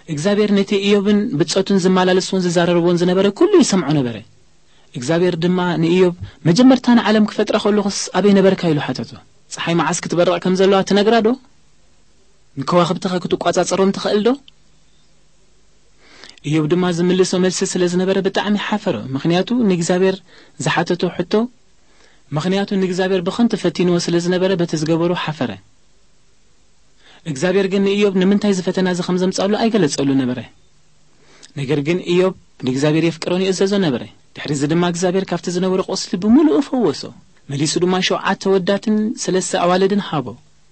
እግዚኣብሔር ነቲ እዮብን ብጾቱን ዝመላለስዎን ዝዛረርዎን ዝነበረ ኩሉ ይሰምዖ ነበረ። እግዚኣብሔር ድማ ንእዮብ፣ "መጀመርታ ንዓለም ክፈጥራ ከለኹስ ኣበይ ነበርካ?" ኢሉ ሓተቶ። "ጸሓይ መዓስ ክትበርቕ ከም ዘለዋ ትነግራ ዶ? ንከዋኽብትኸ ክትቋጻጸሮም ትኽእል ዶ?" እዮብ ድማ ዝምልሶ መልሲ ስለ ዝነበረ ብጣዕሚ ሓፈረ። ምኽንያቱ ንእግዚኣብሔር ዝሓተቶ ሕቶ፣ ምኽንያቱ ንእግዚኣብሔር ብኸንቱ ፈቲንዎ ስለ ዝነበረ በቲ ዝገበሮ ሓፈረ። እግዚኣብሔር ግን ንእዮብ ንምንታይ እዚ ፈተና እዚ ከም ዘምጻሉ ኣይገለጸሉ ነበረ። ነገር ግን እዮብ ንእግዚኣብሔር የፍቅሮን ይእዘዞ ነበረ። ድሕሪ እዚ ድማ እግዚኣብሔር ካብቲ ዝነበሮ ቁስሊ ብምሉኡ ፈወሶ። መሊሱ ድማ ሸውዓተ ወዳትን ሰለስተ ኣዋልድን ሃቦ።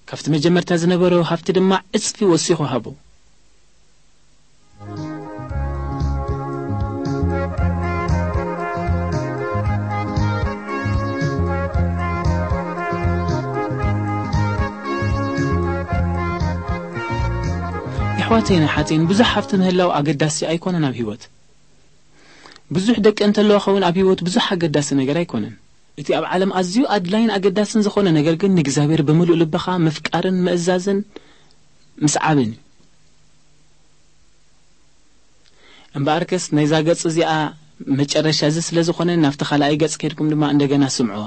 ካብቲ መጀመርታ ዝነበሮ ሃብቲ ድማ ዕጽፊ ወሲኹ ሃቦ። የሕዋተይን ኣሓተይን፣ ብዙሕ ሃብቲ ምህላው ኣገዳሲ ኣይኮነን ኣብ ህይወት። ብዙሕ ደቂ እንተለዋ ኸውን ኣብ ህይወት ብዙሕ ኣገዳሲ ነገር ኣይኮነን። እቲ ኣብ ዓለም ኣዝዩ ኣድላይን ኣገዳስን ዝኾነ ነገር ግን ንእግዚኣብሔር ብምሉእ ልብኻ ምፍቃርን ምእዛዝን ምስዓብን እዩ። እምበኣርከስ ናይዛ ገጽ እዚኣ መጨረሻ እዚ ስለ ዝኾነ ናብቲ ካልኣይ ገጽ ከድኩም ድማ እንደገና ስምዕዋ።